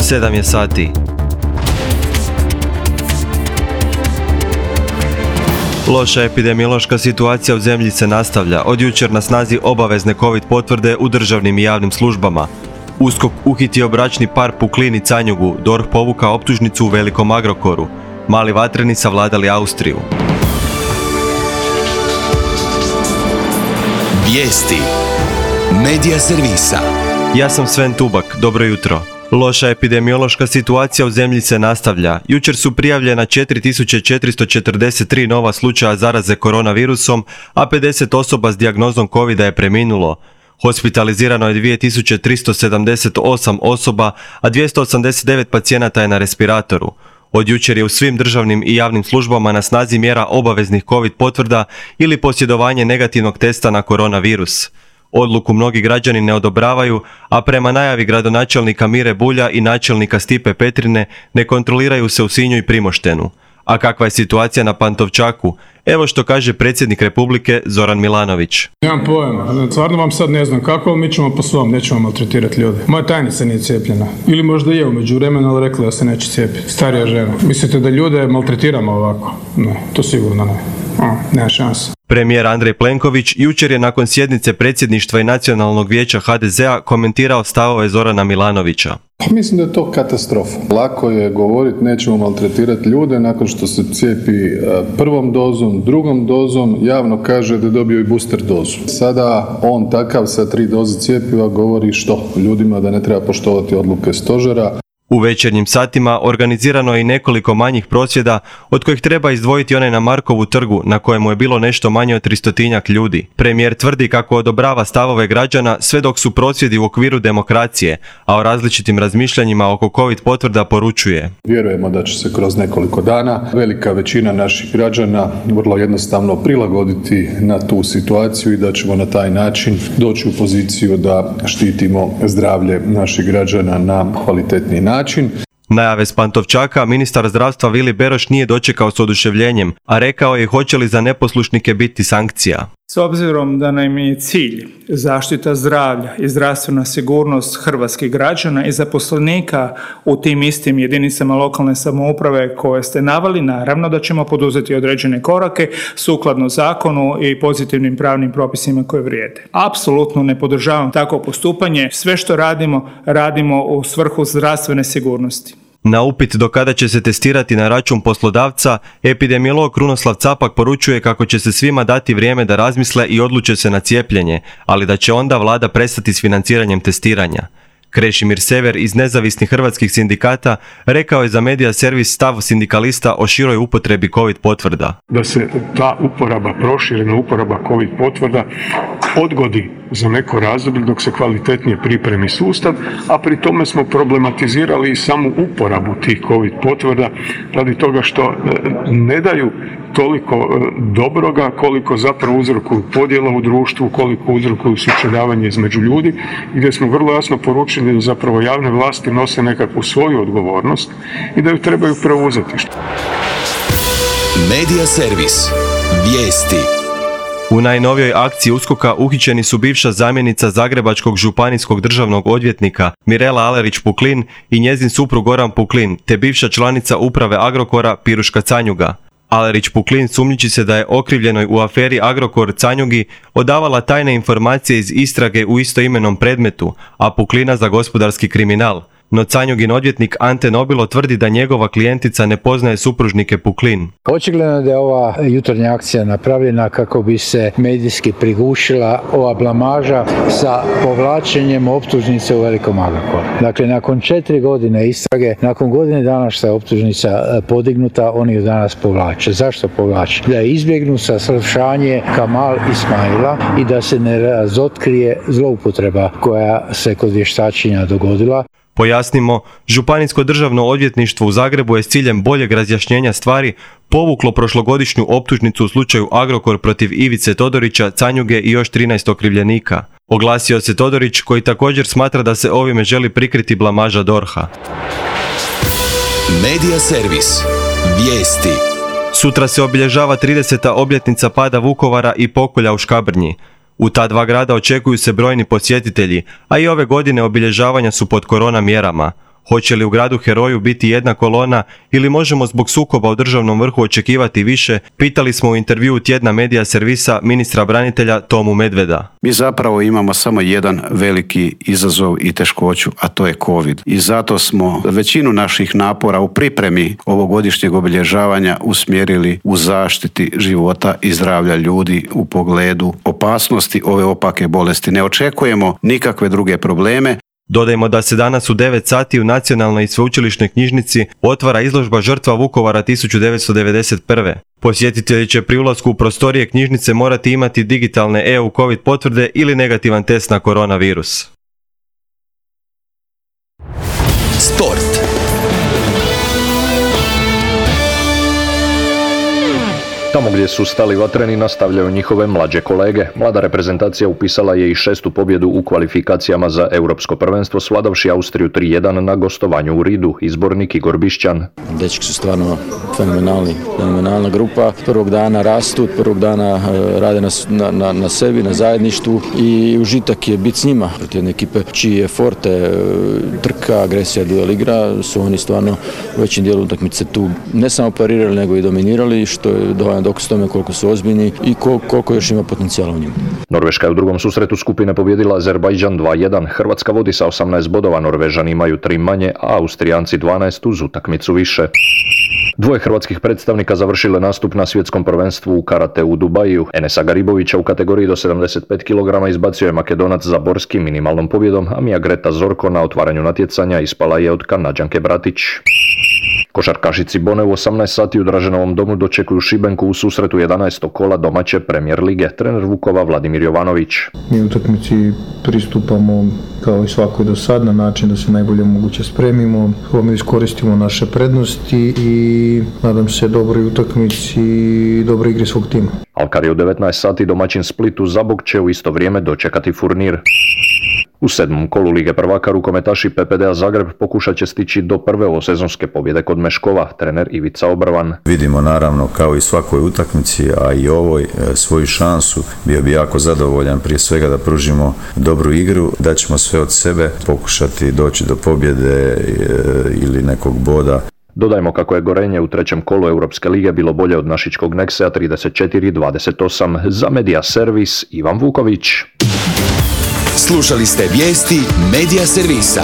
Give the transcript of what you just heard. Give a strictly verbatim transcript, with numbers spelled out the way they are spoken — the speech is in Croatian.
sedam je sati. Loša epidemiološka situacija u zemlji se nastavlja. Od jučer na snazi obavezne COVID potvrde u državnim i javnim službama. USKOK uhitio bračni par Puklin i Canjugu, D O R H povukao optužnicu u velikom Agrokoru. Mali vatreni savladali Austriju. Vijesti Medija servisa. Ja sam Sven Tubak, dobro jutro. Loša epidemiološka situacija u zemlji se nastavlja. Jučer su prijavljena četiri tisuće četiristo četrdeset tri nova slučaja zaraze koronavirusom, a pedeset osoba s dijagnozom covida je preminulo. Hospitalizirano je dvije tisuće tristo sedamdeset osam osoba, a dvjesto osamdeset devet pacijenata je na respiratoru. Od jučer je u svim državnim i javnim službama na snazi mjera obaveznih COVID potvrda ili posjedovanje negativnog testa na koronavirus. Odluku mnogi građani ne odobravaju, a prema najavi gradonačelnika Mire Bulja i načelnika Stipe Petrine ne kontroliraju se u Sinju i Primoštenu. A kakva je situacija na Pantovčaku? Evo što kaže predsjednik Republike Zoran Milanović. Nemam pojma, stvarno vam sad ne znam kako, ali mi ćemo po svom, nećemo maltretirati ljude. Moja tajnica nije cijepljena. Ili možda je u međuvremenu, ali rekla da se neće cijepiti. Starija žena. Mislite da ljude maltretiramo ovako? Ne, to sigurno ne. O, nema šanse. Premijer Andrej Plenković jučer je nakon sjednice predsjedništva i Nacionalnog vijeća ha de zea komentirao stavove Zorana Milanovića. Pa mislim da je to katastrofa. Lako je govoriti nećemo maltretirati ljude nakon što se cijepi prvom dozom, drugom dozom, javno kaže da je dobio i booster dozu. Sada on takav sa tri doze cjepiva govori što? Ljudima da ne treba poštovati odluke stožera. U večernjim satima organizirano je i nekoliko manjih prosvjeda, od kojih treba izdvojiti onaj na Markovu trgu, na kojemu je bilo nešto manje od tristotinjak ljudi. Premijer tvrdi kako odobrava stavove građana sve dok su prosvjedi u okviru demokracije, a o različitim razmišljanjima oko COVID potvrda poručuje. Vjerujemo da će se kroz nekoliko dana velika većina naših građana vrlo jednostavno prilagoditi na tu situaciju i da ćemo na taj način doći u poziciju da štitimo zdravlje naših građana na kvalitetniji način. način. Najave s Pantovčaka ministar zdravstva Vili Beroš nije dočekao s oduševljenjem, a rekao je hoće li za neposlušnike biti sankcija. S obzirom da nam je cilj zaštita zdravlja i zdravstvena sigurnost hrvatskih građana i zaposlenika u tim istim jedinicama lokalne samouprave koje ste naveli, naravno da ćemo poduzeti određene korake sukladno zakonu i pozitivnim pravnim propisima koje vrijede. Apsolutno ne podržavam takvo postupanje. Sve što radimo, radimo u svrhu zdravstvene sigurnosti. Na upit do kada će se testirati na račun poslodavca, epidemiolog Krunoslav Capak poručuje kako će se svima dati vrijeme da razmisle i odluče se na cijepljenje, ali da će onda vlada prestati s financiranjem testiranja. Krešimir Sever iz nezavisnih hrvatskih sindikata rekao je za Medija servis stav sindikalista o široj upotrebi COVID potvrda. Da se ta uporaba, proširena uporaba COVID potvrda odgodi za neko razdoblje dok se kvalitetnije pripremi sustav, a pri tome smo problematizirali i samu uporabu tih COVID potvrda radi toga što ne daju toliko dobroga koliko zapravo uzrokuju podjela u društvu, koliko uzrokuju sučeljavanje između ljudi, gdje smo vrlo jasno poručili da zapravo javne vlasti nose nekakvu svoju odgovornost i da ju trebaju preuzeti. Medija servis. Vijesti. U najnovijoj akciji uskoka uhićeni su bivša zamjenica Zagrebačkog županijskog državnog odvjetnika Mirela Alerić Puklin i njezin suprug Goran Puklin, te bivša članica uprave Agrokora Piruška Canjuga. Alerić Puklin sumnjiči se da je okrivljenoj u aferi Agrokor Canjugi odavala tajne informacije iz istrage u istoimenom predmetu, a Puklina za gospodarski kriminal. No Canjugin odvjetnik Ante Nobilo tvrdi da njegova klijentica ne poznaje supružnike Puklin. Očigledno da je ova jutarnja akcija napravljena kako bi se medijski prigušila ova blamaža sa povlačenjem optužnice u velikom Agrokoru. Dakle, nakon četiri godine istrage, nakon godine dana što je optužnica podignuta, oni ju danas povlače. Zašto povlače? Da je izbjegnu saslušanje Kamal Ismaila i da se ne razotkrije zloupotreba koja se kod vještačenja dogodila. Pojasnimo, Županijsko državno odvjetništvo u Zagrebu je s ciljem boljeg razjašnjenja stvari povuklo prošlogodišnju optužnicu u slučaju Agrokor protiv Ivice Todorića, Canjuge i još trinaest okrivljenika. Oglasio se Todorić koji također smatra da se ovime želi prikriti blamaža D O R H-a. Medija servis. Vijesti. Sutra se obilježava trideseta obljetnica pada Vukovara i pokolja u Škabrnji. U ta dva grada očekuju se brojni posjetitelji, a i ove godine obilježavanja su pod korona mjerama. Hoće li u gradu heroju biti jedna kolona ili možemo zbog sukoba u državnom vrhu očekivati više, pitali smo u intervjuu tjedna Medija servisa ministra branitelja Tomu Medveda. Mi zapravo imamo samo jedan veliki izazov i teškoću, a to je COVID. I zato smo većinu naših napora u pripremi ovogodišnjeg obilježavanja usmjerili u zaštiti života i zdravlja ljudi u pogledu opasnosti ove opake bolesti. Ne očekujemo nikakve druge probleme. Dodajmo da se danas u devet sati u Nacionalnoj i sveučilišnoj knjižnici otvara izložba Žrtva Vukovara tisuću devetsto devedeset prve. Posjetitelji će pri ulasku u prostorije knjižnice morati imati digitalne E U COVID potvrde ili negativan test na koronavirus. Sport. Tamo gdje su stali vatreni nastavljaju njihove mlađe kolege. Mlada reprezentacija upisala je i šestu pobjedu u kvalifikacijama za Europsko prvenstvo, svladavši Austriju tri jedan na gostovanju u Ridu. Izbornik Igor Bišćan. Dečki su stvarno fenomenalni, fenomenalna grupa. Prvog dana rastu, prvog dana rade na, na, na sebi, na zajedništvu i užitak je biti s njima. Protiv jedne ekipe čiji je forte, trka, agresija, duel igra, su oni stvarno u većem dijelu utakmice tu ne samo parirali, nego i dominirali, što je dovoljno dokaz tome koliko su ozbiljni i koliko još ima potencijala u njima. Norveška je u drugom susretu skupine pobjedila Azerbajdžan dva jedan. Hrvatska vodi sa osamnaest bodova, Norvežani imaju tri manje, a Austrijanci dvanaest uz utakmicu više. Dvoje hrvatskih predstavnika završile nastup na svjetskom prvenstvu u karate u Dubaju. Enesa Garibovića u kategoriji do sedamdeset pet kilograma izbacio je Makedonac Zaborski minimalnom pobjedom, a Mija Greta Zorko na otvaranju natjecanja ispala je od Kanađanke Bratić. Košarkašici Bone u osamnaest sati u Draženovom domu dočekuju Šibenku u susretu jedanaestog kola domaće Premijer lige. Trener Vukova Vladimir Jovanović. Mi utakmici pristupamo kao i svakoj do sad na način da se najbolje moguće spremimo, mi iskoristimo naše prednosti i nadam se dobroj utakmici i dobroj igri svog tima. Alkar je u devetnaest sati domaćin Splitu Zabog će u isto vrijeme dočekati Furnir. U sedmom kolu Lige prvaka rukometaši P P D A Zagreb pokušat će stići do prve ovosezonske pobjede kod Meškova, trener Ivica Obrvan. Vidimo naravno kao i svakoj utakmici, a i ovoj svoju šansu. Bio bi jako zadovoljan prije svega da pružimo dobru igru, da ćemo sve od sebe pokušati doći do pobjede ili nekog boda. Dodajmo kako je Gorenje u trećem kolu Europske lige bilo bolje od našičkog Neksea trideset četiri dvadeset osam. Za Medija servis Ivan Vuković. Slušali ste vijesti Medija servisa.